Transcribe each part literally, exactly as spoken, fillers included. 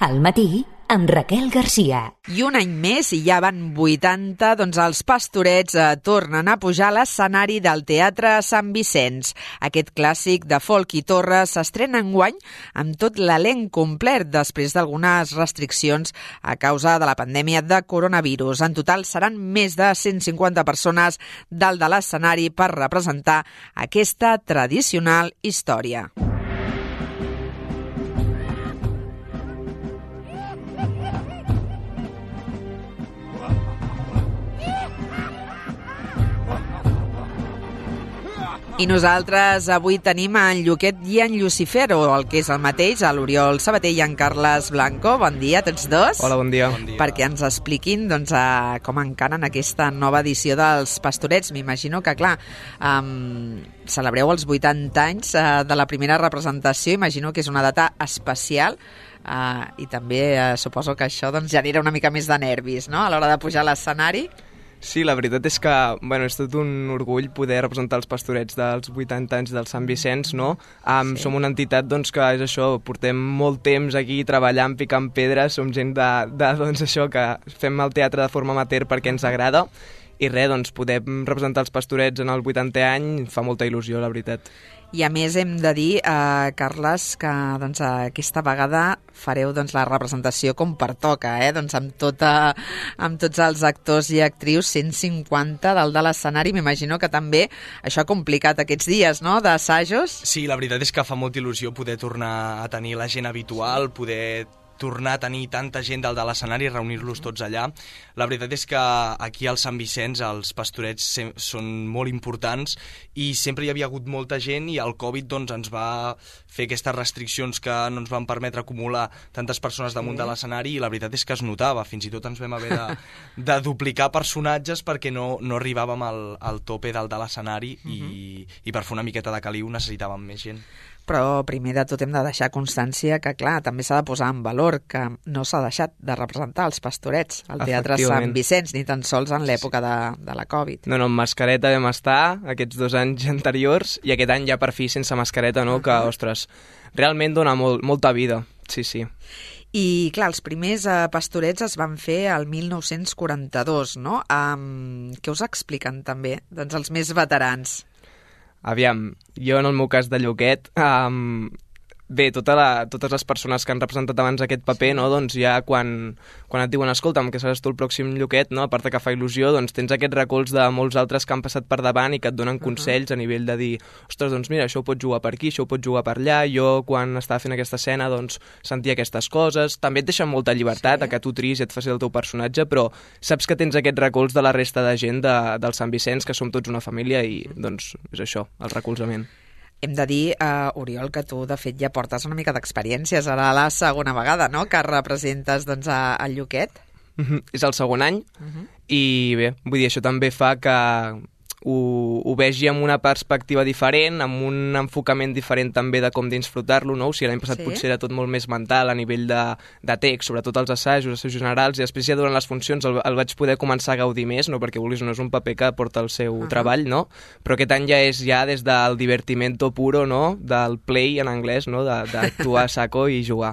Al matí, amb Raquel Garcia. I un any més, i ja van vuitanta, doncs els Pastorets eh, tornen a pujar a l'escenari del Teatre Sant Vicenç. Aquest clàssic de folk i torres s'estrena enguany amb tot l'elenc complet després d'algunes restriccions a causa de la pandèmia de coronavirus. En total seran més de cent cinquanta persones dalt de l'escenari per representar aquesta tradicional història. I nosaltres avui tenim en Lluquet i en Llucifer, o el que és el mateix, a l'Oriol Sabater i en Carles Blanco. Bon dia a tots dos. Hola, bon dia. Bon dia. Perquè ens expliquin doncs, a, com encaren aquesta nova edició dels Pastorets. M'imagino que, clar, um, celebreu els vuitanta anys uh, de la primera representació. Imagino que és una data especial. Uh, I també uh, suposo que això doncs, genera una mica més de nervis, no?, a l'hora de pujar a l'escenari. Sí, la veritat és que bueno, és tot un orgull poder representar els Pastorets dels vuitanta anys del Sant Vicenç, no? Um, sí. Som una entitat doncs, que és això, portem molt temps aquí treballant, picant pedres, som gent de, de doncs, això, que fem el teatre de forma amateur perquè ens agrada, i res, doncs, poder representar els Pastorets en el vuitantè any fa molta il·lusió, la veritat. I a més hem de dir, eh, Carles, que doncs, aquesta vegada fareu doncs, la representació com pertoca, eh? doncs, amb, tota, amb tots els actors i actrius, cent cinquanta dalt de l'escenari. M'imagino que també això ha complicat aquests dies, no?, d'assajos. Sí, la veritat és que fa molta il·lusió poder tornar a tenir la gent habitual, poder tornar a tenir tanta gent dalt de l'escenari i reunir-los tots allà. La veritat és que aquí al Sant Vicenç els Pastorets són molt importants i sempre hi havia hagut molta gent i el Covid doncs, ens va fer aquestes restriccions que no ens van permetre acumular tantes persones damunt de l'escenari, i la veritat és que es notava. Fins i tot ens vam haver de, de duplicar personatges perquè no, no arribàvem al, al tope dalt de l'escenari uh-huh. i, i per fer una miqueta de caliu necessitàvem més gent. Però primer de tot hem de deixar constància que, clar, també s'ha de posar en valor que no s'ha deixat de representar els Pastorets al Teatre Sant Vicenç, ni tan sols en l'època de, de la Covid. No, no, amb mascareta vam estar aquests dos anys anteriors, i aquest any ja per fi sense mascareta, no? Uh-huh. Que, ostres, realment dona molt, molta vida, sí, sí. I, clar, els primers eh, Pastorets es van fer al mil nou-cents quaranta-dos, no? Um, què us expliquen també, doncs, els més veterans? Aviam, jo en el meu cas de Lluquet, um, bé, tota la, totes les persones que han representat abans aquest paper, no, doncs ja quan, quan et diuen escolta'm, que seràs tu el pròxim Lluquet, no, a part que fa il·lusió, doncs tens aquest recolz de molts altres que han passat per davant i que et donen uh-huh. consells a nivell de dir, ostres, doncs mira, això ho pots jugar per aquí, això ho pots jugar per allà, jo quan estava fent aquesta escena doncs sentia aquestes coses, també et deixen molta llibertat sí. a que tu triïs i et facis el teu personatge, però saps que tens aquest recolz de la resta de gent de, del Sant Vicenç, que som tots una família i doncs és això, el recolzament. Hem de dir, uh, Oriol, que tu, de fet, ja portes una mica d'experiències. Ara la segona vegada, no?, que representes doncs, a, a Lluquet. Uh-huh. És el segon any, uh-huh. i bé, vull dir, això també fa que ho, ho vegi amb una perspectiva diferent, amb un enfocament diferent també de com disfrutar-lo, no? O sigui, l'any passat sí. potser era tot molt més mental a nivell de, de text, sobretot els assajos, assajos generals, i després ja durant les funcions el, el vaig poder començar a gaudir més, no? Perquè vulguis, no és un paper que porta el seu uh-huh. treball, no? Però aquest any ja és ja des del divertimento puro, no? Del play en anglès, no? D'actuar a saco i jugar.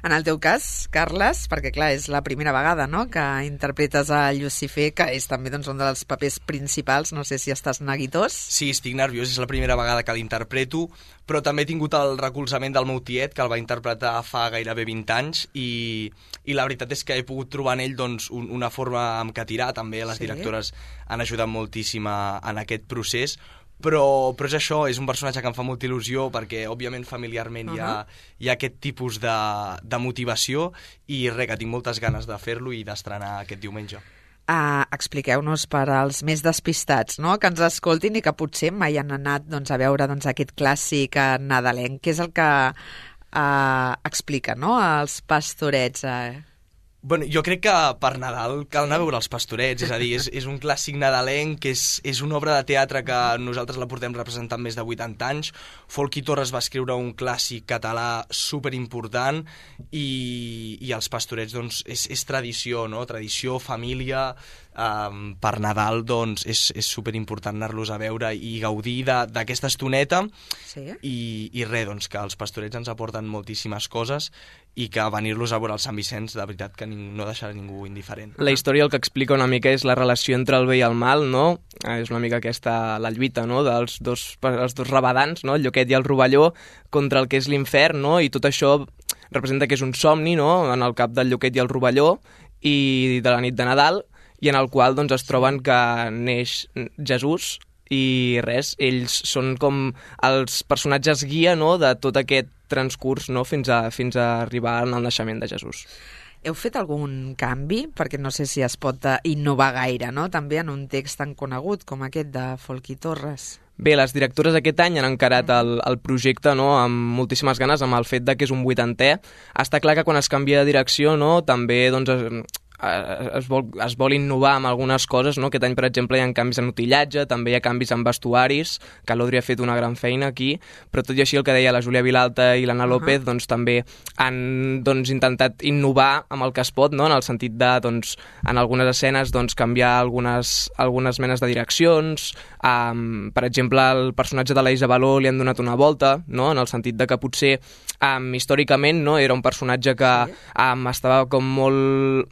En el teu cas, Carles, perquè clar, és la primera vegada, no?, que interpretes a Llucifer, que és també doncs, un dels papers principals, no sé si estàs neguitós? Sí, estic nerviós, és la primera vegada que l'interpreto, però també he tingut el recolzament del meu tiet, que el va interpretar fa gairebé vint anys, i, i la veritat és que he pogut trobar en ell doncs, un, una forma amb què tirar. També les sí. directores han ajudat moltíssim a, en aquest procés, però, però és això, és un personatge que em fa molta il·lusió perquè, òbviament, familiarment uh-huh. hi, ha, hi ha aquest tipus de, de motivació, i res, que tinc moltes ganes de fer-lo i d'estrenar aquest diumenge. Uh, expliqueu-nos per als més despistats, no?, que ens escoltin i que potser mai han anat doncs, a veure doncs, aquest clàssic uh, nadalenc. Què és el que uh, explica, no?, els Pastorets? Uh... Bueno, jo crec que per Nadal cal anar a veure els Pastorets, és a dir, és, és un clàssic nadalenc, que és, és una obra de teatre que nosaltres la portem representant més de vuitanta anys. Folchi Torres va escriure un clàssic català superimportant, i, i els Pastorets doncs, és, és tradició, no? Tradició, família, um, per Nadal doncs, és, és superimportant anar-los a veure i gaudir d'aquesta estoneta. Sí. I, i res, doncs, que els pastorets ens aporten moltíssimes coses i que venir-los a veure el Sant Vicenç, de veritat que ning no deixarà ningú indiferent. La història el que explica una mica és la relació entre el bé i el mal, no? És una mica aquesta, la lluita, no?, dels dos, els dos rabadans, no?, el Lluquet i el Rovelló, contra el que és l'infern, no?, i tot això representa que és un somni, no?, en el cap del Lluquet i el Rovelló, i de la nit de Nadal, i en el qual doncs, es troben que neix Jesús, i res, ells són com els personatges guia, no?, de tot aquest transcurs, no?, fins a, fins a arribar al naixement de Jesús. Heu fet algun canvi? Perquè no sé si es pot innovar gaire, no?, també en un text tan conegut com aquest de Folch i Torres. Bé, les directores aquest any han encarat el, el projecte, no?, amb moltíssimes ganes, amb el fet de que és un vuitantè. Està clar que quan es canvia de direcció, no?, també doncs, es, es, vol, es vol innovar amb algunes coses, no?, aquest any, per exemple, hi ha canvis en utillatge, també hi ha canvis en vestuaris, que l'Audrey ha fet una gran feina aquí, però tot i així el que deia la Júlia Vilalta i l'Anna López, uh -huh. doncs també han doncs, intentat innovar amb el que es pot, no?, en el sentit de, doncs, en algunes escenes, doncs, canviar algunes, algunes menes de direccions. Um, per exemple, el personatge de la Isabeló li han donat una volta, no?, en el sentit de que potser um, històricament, no?, era un personatge que sí. um, estava com molt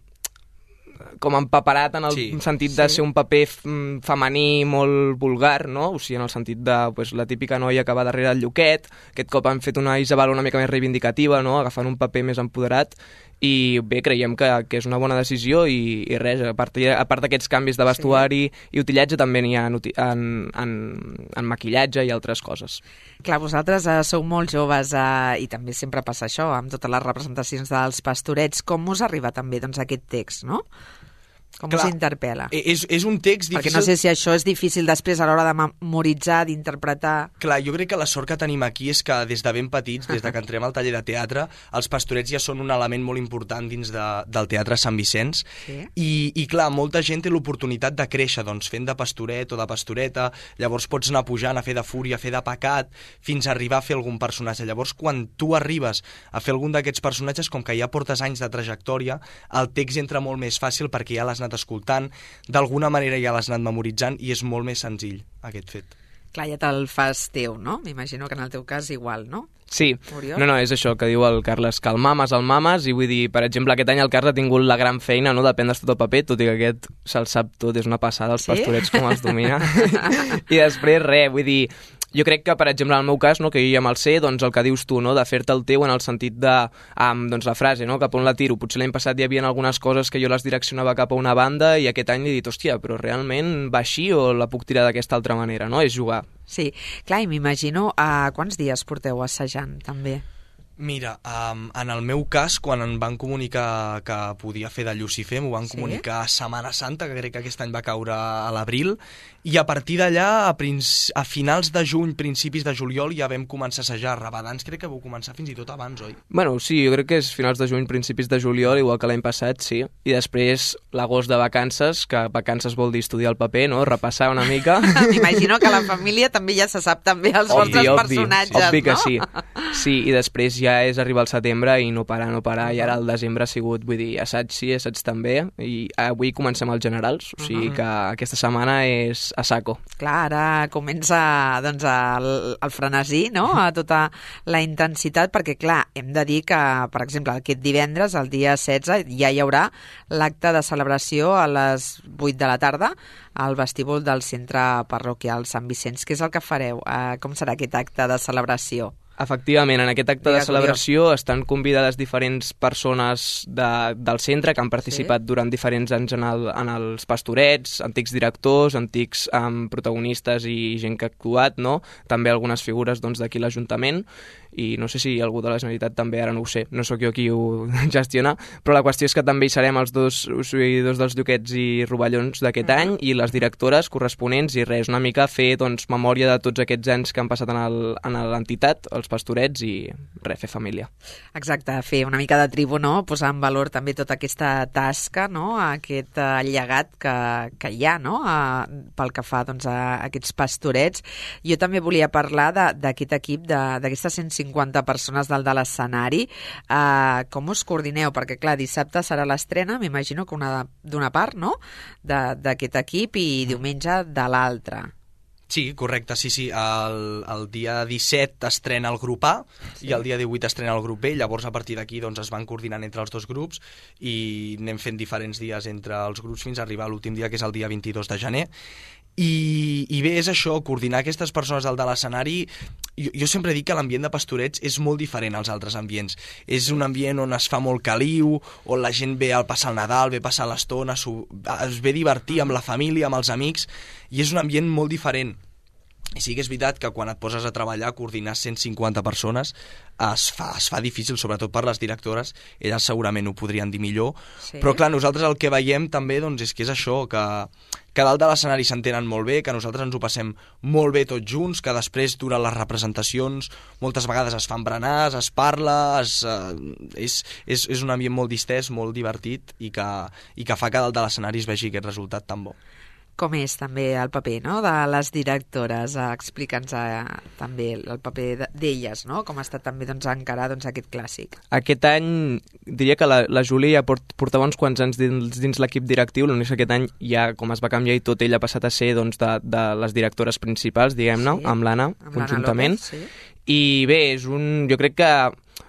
com empaperat en el sí, sentit de sí. ser un paper femení molt vulgar, no? O sigui, en el sentit de pues, la típica noia que va darrere del Lluquet. Aquest cop han fet una Isabel una mica més reivindicativa, no?, agafant un paper més empoderat, i bé, creiem que, que és una bona decisió i, i res, a part, a part d'aquests canvis de vestuari sí. i utillatge també n'hi ha en, en, en, en maquillatge i altres coses. Clar, vosaltres eh, sou molt joves eh, i també sempre passa això, amb totes les representacions dels pastorets. Com us arriba també doncs, aquest text, no? Com Clar, us interpel·la? És, és un text difícil... Perquè no sé si això és difícil després a l'hora de memoritzar, d'interpretar... Clar, jo crec que la sort que tenim aquí és que des de ben petits, des de que entrem al taller de teatre, els pastorets ja són un element molt important dins de, del Teatre Sant Vicenç. Sí. I, I clar, molta gent té l'oportunitat de créixer doncs, fent de pastoret o de pastoreta, llavors pots anar pujant a fer de fúria, a fer de pecat, fins a arribar a fer algun personatge. Llavors, quan tu arribes a fer algun d'aquests personatges, com que ja portes anys de trajectòria, el text entra molt més fàcil perquè ja l'has anat escoltant, d'alguna manera ja l'has anat memoritzant i és molt més senzill aquest fet. Clar, ja te'l fas teu, no? M'imagino que en el teu cas igual, no? Sí, Oriol? no, no, és això que diu el Carles, que el mames, el mames, i vull dir, per exemple, aquest any el Carles ha tingut la gran feina, no?, de prendre's tot el paper, tot i que aquest se'l sap tot, és una passada, els sí? pastorets com els domina. I després, res, vull dir, jo crec que, per exemple, en el meu cas, no, que jo ja me'l sé, doncs el que dius tu, no, de fer-te el teu en el sentit de, um, doncs la frase, no, cap on la tiro. Potser l'any passat hi havia algunes coses que jo les direccionava cap a una banda i aquest any he dit, hòstia, però realment va així o la puc tirar d'aquesta altra manera, no? És jugar. Sí, clar, i m'imagino a quants dies porteu assajant, també? Mira, um, en el meu cas, quan em van comunicar que podia fer de Llucifer, m'ho van sí? comunicar a Setmana Santa, que crec que aquest any va caure a l'abril, i a partir d'allà, a, a finals de juny, principis de juliol, ja vam començar a assajar. Rabadans crec que vau començar fins i tot abans, oi? Bueno, sí, jo crec que és finals de juny, principis de juliol, igual que l'any passat, sí. I després l'agost de vacances, que vacances vol dir estudiar el paper, no? Repassar una mica. M'imagino que la família també ja se sap també els obvi, vostres obvi, personatges, obvi que no? sí. Sí, i després ja és arribar al setembre i no parar, no parar, i ara el desembre ha sigut, vull dir, assaig sí, assaig també, i avui comencem els generals, o sigui que aquesta setmana és a saco. Clar, ara comença doncs, el, el frenesí, no?, a tota la intensitat, perquè clar, hem de dir que, per exemple, aquest divendres, el dia setze, ja hi haurà l'acte de celebració a les vuit de la tarda al vestíbul del Centre Parroquial Sant Vicenç. Què és el que fareu? Uh, com serà aquest acte de celebració? Efectivament, en aquest acte de celebració estan convidades diferents persones de, del centre que han participat sí? durant diferents anys en, el, en els pastorets, antics directors, antics um, protagonistes i gent que ha actuat, no? També algunes figures doncs, d'aquí l'Ajuntament, i no sé si algú de la Generalitat també, ara no ho sé, no sóc jo qui ho gestiona, però la qüestió és que també hi serem els dos seguidors dels Lluquets i Rovellons d'aquest uh -huh. any i les directores corresponents i res, una mica fer doncs, memòria de tots aquests anys que han passat en l'entitat, els pastorets, i res, fer família. Exacte, fer una mica de tribu, no? Posar en valor també tota aquesta tasca, no? Aquest uh, llegat que, que hi ha, no? Uh, pel que fa doncs, a aquests pastorets. Jo també volia parlar d'aquest equip, d'aquesta sensibilitat cinquanta persones dalt de l'escenari. Uh, com us coordineu? Perquè, clar, dissabte serà l'estrena, m'imagino que una d'una part, no?, d'aquest equip, i diumenge de l'altra. Sí, correcte, sí, sí. El, el dia disset estrena el grup A, sí, i el dia divuit estrena el grup B, llavors a partir d'aquí doncs, es van coordinant entre els dos grups i anem fent diferents dies entre els grups fins a arribar a l'últim dia, que és el dia vint-i-dos de gener. I, i bé, és això, coordinar aquestes persones al de l'escenari. Jo, jo sempre dic que l'ambient de Pastorets és molt diferent als altres ambients. És un ambient on es fa molt caliu, on la gent ve a passar el Nadal, ve a passar l'estona, es ve a divertir amb la família, amb els amics, i és un ambient molt diferent. I sí que és veritat que quan et poses a treballar, coordinar cent cinquanta persones es fa, es fa difícil, sobretot per les directores. Elles segurament ho podrien dir millor, sí. Però clar, nosaltres el que veiem també doncs, és que és això, que, que dalt de l'escenari s'entenen molt bé, que nosaltres ens ho passem molt bé tots junts, que després durant les representacions moltes vegades es fan berenars, es parla, es, eh, és, és, és un ambient molt distès, molt divertit, i que, i que fa que dalt de l'escenari es vegi aquest resultat tan bo. Com és també el paper, no?, de les directores? Explica'ns eh, també el paper d'elles, no?, com ha estat també doncs, encarar doncs, aquest clàssic. Aquest any diria que la, la Júlia ja port, portava uns quants anys dins, dins l'equip directiu, l'únic que aquest any ja, com es va canviar i tot, ella ha passat a ser doncs, de, de les directores principals, diguem-ne, sí, amb l'Anna, conjuntament. López, sí. I bé, és un... jo crec que...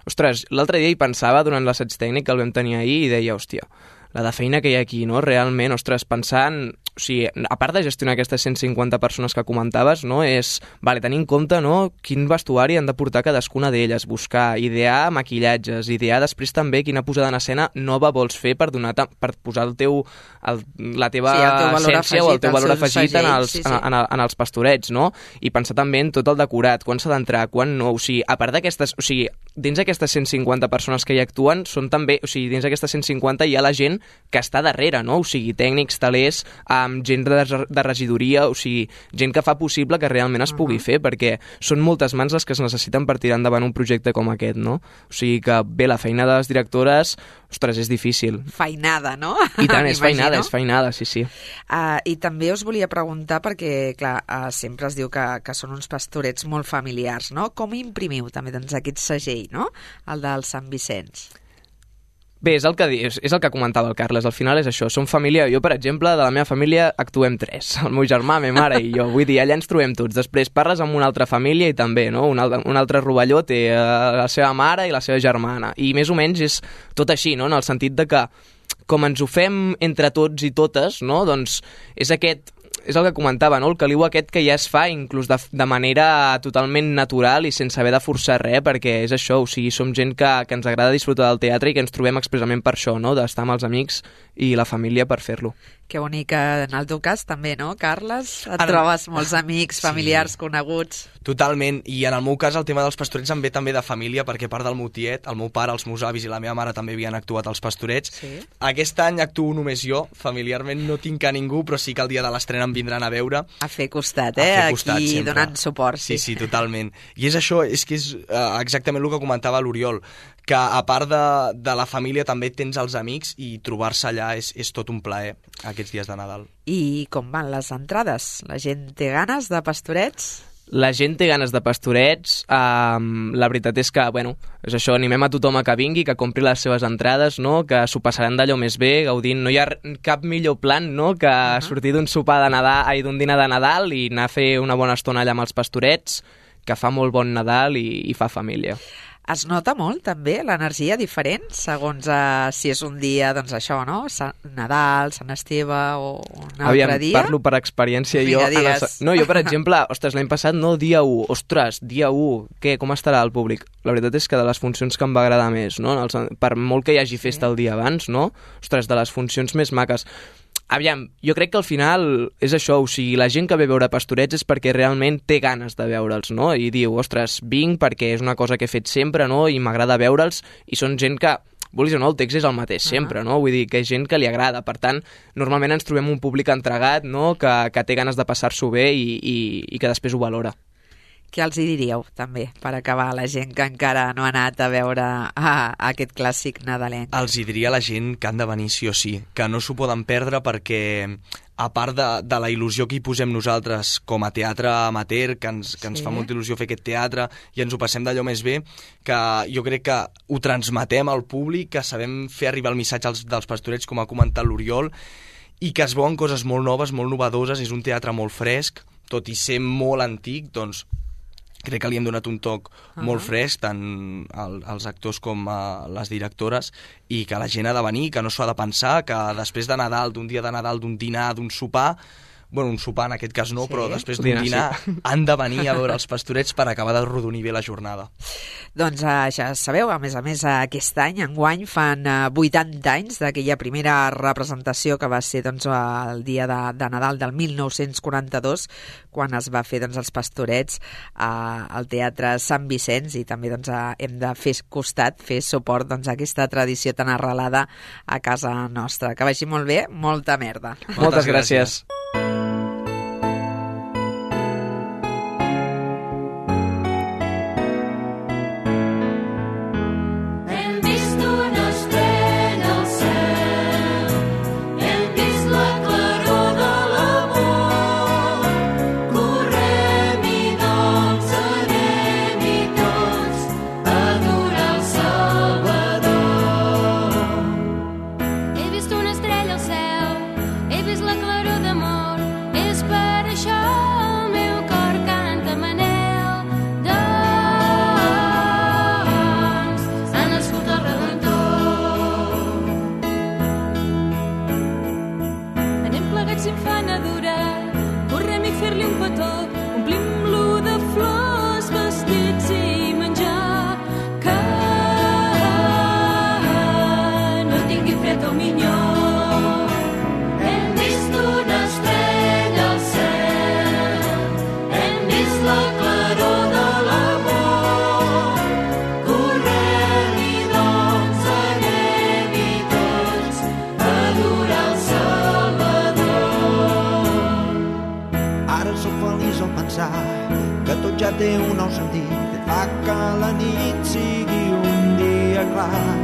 Ostres, l'altre dia hi pensava durant l'assaig tècnic que el vam tenir ahir i deia, hòstia, la de feina que hi ha aquí, no?, realment, ostres, pensant... O sigui, a part de gestionar aquestes cent cinquanta persones que comentaves, no, és, vale, tenir en compte, no, quin vestuari han de portar cadascuna d'elles, buscar, idear maquillatges, idear després també quina posada en escena nova vols fer per donar per posar el teu, el, la teva sí, essència afegit, o el teu valor afegit segell, en, els, sí, sí. En, en, en els pastorets, no? I pensar també en tot el decorat, quan s'ha d'entrar, quan no, o sigui, a part d'aquestes, o sigui, dins d'aquestes cent cinquanta persones que hi actuen, són també, o sigui, dins d'aquestes cent cinquanta hi ha la gent que està darrere, no? O sigui, tècnics, talers, amb gent de, de regidoria, o sigui, gent que fa possible que realment es pugui uh -huh. fer, perquè són moltes mans les que es necessiten per tirar endavant un projecte com aquest, no? O sigui que, bé, la feina de les directores, ostres, és difícil. Feinada, no? I tant, és feinada, és feinada, sí, sí. Uh, I també us volia preguntar, perquè, clar, uh, sempre es diu que, que són uns pastorets molt familiars, no? Com imprimiu també doncs, aquest segell, no?, el del Sant Vicenç? Bé, és el que és, és el que comentava el Carles, al final és això, som família, jo per exemple, de la meva família actuem tres, el meu germà, la meva mare i jo, vull dir, allà ens trobem tots, després parles amb una altra família i també, no?, un altre, un altre rovelló té la seva mare i la seva germana, i més o menys és tot així, no?, en el sentit de que com ens ho fem entre tots i totes, no?, doncs és aquest... és el que comentava, no?, el caliu aquest que ja es fa inclús de, de manera totalment natural i sense haver de forçar res, perquè és això, o sigui, som gent que, que ens agrada disfrutar del teatre i que ens trobem expressament per això, no?, d'estar amb els amics i la família per fer-lo. Que bonic, en el teu cas també, no, Carles? Et en... trobes molts amics, familiars, sí, coneguts. Totalment, i en el meu cas el tema dels pastorets em ve també de família, perquè a part del meu tiet, el meu pare, els meus avis i la meva mare també havien actuat als pastorets. Sí. Aquest any actuo només jo, familiarment no tinc a ningú, però sí que el dia de l'estrena em vindran a veure. A fer costat, eh? A fer costat, aquí sempre. Donant suport. Sí. sí, sí, totalment. I és això, és que és uh, exactament el que comentava l'Oriol, que a part de, de la família també tens els amics i trobar-se allà és, és tot un plaer aquests dies de Nadal. I com van les entrades? La gent té ganes de pastorets? La gent té ganes de pastorets, um, la veritat és que, bueno, és això, animem a tothom a que vingui, que compri les seves entrades, no?, que s'ho passaran d'allò més bé, gaudint. No hi ha cap millor plan, no?, que uh -huh. sortir d'un sopar de Nadal, ai, d'un dinar de Nadal i anar a fer una bona estona allà amb els pastorets, que fa molt bon Nadal i, i fa família. Es nota molt, també, l'energia diferent, segons uh, si és un dia, doncs això, no?, Sant Nadal, Sant Esteve o un altre Aviam, dia. Parlo per experiència. Vinga, jo, el, no, jo, per exemple, ostres, l'any passat, no, dia u, ostres, dia u, què, com estarà el públic? La veritat és que de les funcions que em va agradar més, no?, per molt que hi hagi festa sí. el dia abans, no?, ostres, de les funcions més maques. Aviam, jo crec que al final és això, o sigui, la gent que ve a veure pastorets és perquè realment té ganes de veure'ls, no? I diu, ostres, vinc perquè és una cosa que he fet sempre, no?, i m'agrada veure'ls, i són gent que, vulguis o no, el text és el mateix sempre, uh -huh. no? Vull dir, que és gent que li agrada, per tant, normalment ens trobem un públic entregat, no?, que, que té ganes de passar-s'ho bé i, i, i que després ho valora. Què els hi diríeu, també, per acabar, la gent que encara no ha anat a veure ah, aquest clàssic nadalenc? Els hi diria a la gent que han de venir sí o sí, que no s'ho poden perdre perquè a part de, de la il·lusió que hi posem nosaltres com a teatre amateur, que ens, que ens Sí. fa molta il·lusió fer aquest teatre i ens ho passem d'allò més bé, que jo crec que ho transmetem al públic, que sabem fer arribar el missatge als, dels Pastorets, com ha comentat l'Oriol, i que es veuen coses molt noves, molt novedoses, és un teatre molt fresc, tot i ser molt antic, doncs crec que li hem donat un toc uh-huh. molt fresc, tant al, als actors com a les directores, i que la gent ha de venir, que no s'ho ha de pensar, que després de Nadal, d'un dia de Nadal, d'un dinar, d'un sopar, bueno, un sopar en aquest cas no, sí. però després d'un Dinar, dinar sí. han de venir a veure els Pastorets per acabar de rodonir bé la jornada. Doncs eh, ja sabeu, a més a més, aquest any, enguany, fan eh, vuitanta anys d'aquella primera representació que va ser doncs, el dia de, de Nadal del mil nou-cents quaranta-dos, quan es va fer doncs, els Pastorets eh, al Teatre Sant Vicenç, i també doncs, eh, hem de fer costat, fer suport doncs, a aquesta tradició tan arrelada a casa nostra. Que vagi molt bé, molta merda. Moltes, Moltes gràcies. gràcies. Que tot ja té un nou sentit, fa que la nit sigui un dia clar.